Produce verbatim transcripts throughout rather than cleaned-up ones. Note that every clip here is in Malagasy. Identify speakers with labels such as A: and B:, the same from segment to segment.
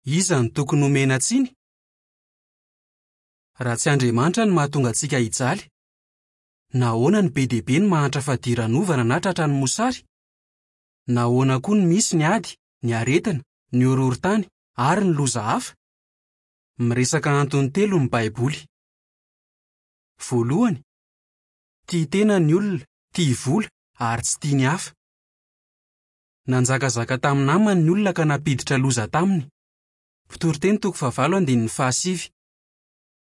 A: Iza no tokony homena tsiny? Raha tsy Andriamanitra no mahatonga antsika hijaly, nahoana no be dia be ny mahantra fadiranovana na tratran'ny mosary? Nahoana koa no misy ny ady, ny aretina, ny horohorontany ary ny loza hafa? Miresaka antony telo ny Baiboly. Voalohany, tia tena ny olona, tia vola ary tsy tia ny hafa. Nanjakazaka tamin'ny namany ny olona ka nampiditra loza taminy. Mpitoriteny toko fahavalo andininy fahasivy.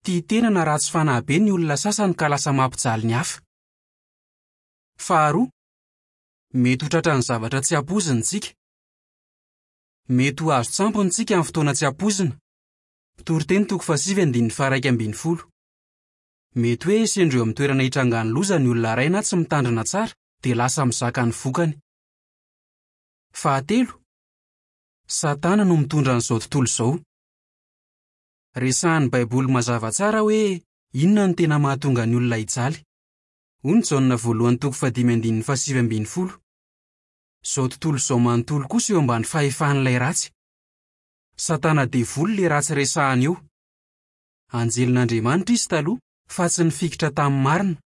A: Tia tena na ratsy fanahy be ny olona sasany ka lasa mampijaly ny hafa. Faharoa, mety ho tratran'ny zavatra tsy ampoizina isika. Mety ho azon-tsampona isika amin'ny fotoana tsy ampoizina. Mpitoriteny toko fahasivy andininy faha-iraika ambin'ny folo. Mety hoe sendra eo amin'ny toerana hitrangan'ny loza ny olona iray na tsy mitandrina tsara dia lasa mizaka ny vokany. Fahatelo, Satana no mitondra an'izao tontolo izao. Resahin'ny Baiboly mazava tsara hoe inona no tena mahatonga ny olona hijaly. Hoy ny Jaona voalohany toko fahadimy andininy fahasivy ambin'ny folo. Izao tontolo izao manontolo kosa eo ambany fahefan'ilay ratsy. Satana devoly ilay ratsy resahana eo. Anjelin'Andriamanitra izy taloha fa tsy nifikitra tamin'ny marina.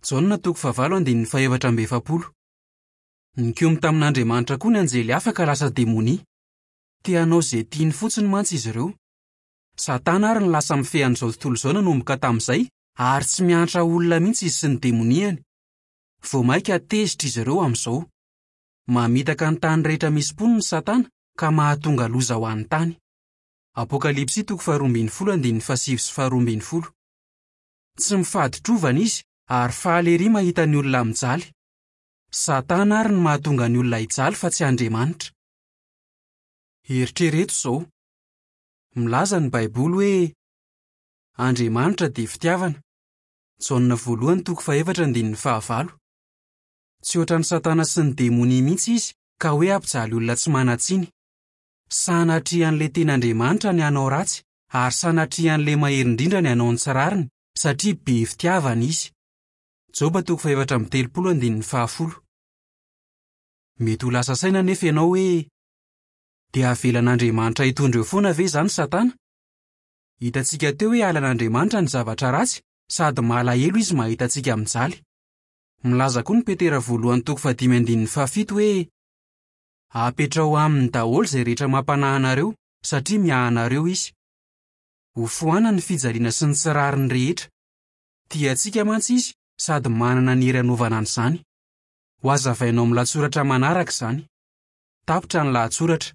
A: Jaona toko fahavalo andininy fahefatra amby efapolo. Nikomy tamin'Andriamanitra koa ny anjely hafa ka lasa demonia. Te hanao izay tiany fotsiny mantsy izy ireo. Satana ary no lasa mifehy an'izao tontolo izao nanomboka tamin'izay ary tsy miantra olona mihitsy izy sy ny demoniany. Vao mainka tezitra izy ireo amin'izao. Mamitaka ny tany rehetra misy mponina Satana ka mahatonga loza ho an'ny tany. Apokalypsy toko faharoa ambin'ny folo andininy fahasivy sy faharoa ambin'ny folo. Tsy mifaditrovana izy ary faly ery mahita ny olona mijaly. Satana ary no mahatonga ny olona hijaly fa tsy Andriamanitra. Eritrereto izao. Milaza ny Baiboly hoe Andriamanitra dia fitiavana. Jaona voalohany toko fahefatra andininy fahavalo. Tsy ohatran'i Satana sy ny demonia mihitsy izy ka hoe hampijaly olona tsy manan-tsiny. Sanatria an'ilay tena Andriamanitra ny hanao ratsy ary sanatria an'ilay mahery indrindra ny hanao ny tsy rariny satria be fitiavana izy. Joba toko fahefatra amby telopolo andininy fahafolo. Mety ho lasa saina anefa ianao hoe dia avelan'Andriamanitra hitondra eo foana ve izany Satana? Hitantsika teo hoe halan'Andriamanitra ny zavatra ratsy sady malahelo izy mahita antsika mijaly. Milaza koa ny Petera voalohany toko fahadimy andininy fahafito hoe apetraho aminy daholo izay rehetra mampanahy anareo satria miahy anareo izy. Ho foanany ny fijaliana sy ny tsy rariny rehetra. Tia antsika mantsy izy sady manana ny hery hanaovana an'izany. Ho hazavainao amin'ny lahatsoratra manaraka izany. Tapitra ny lahatsoratra.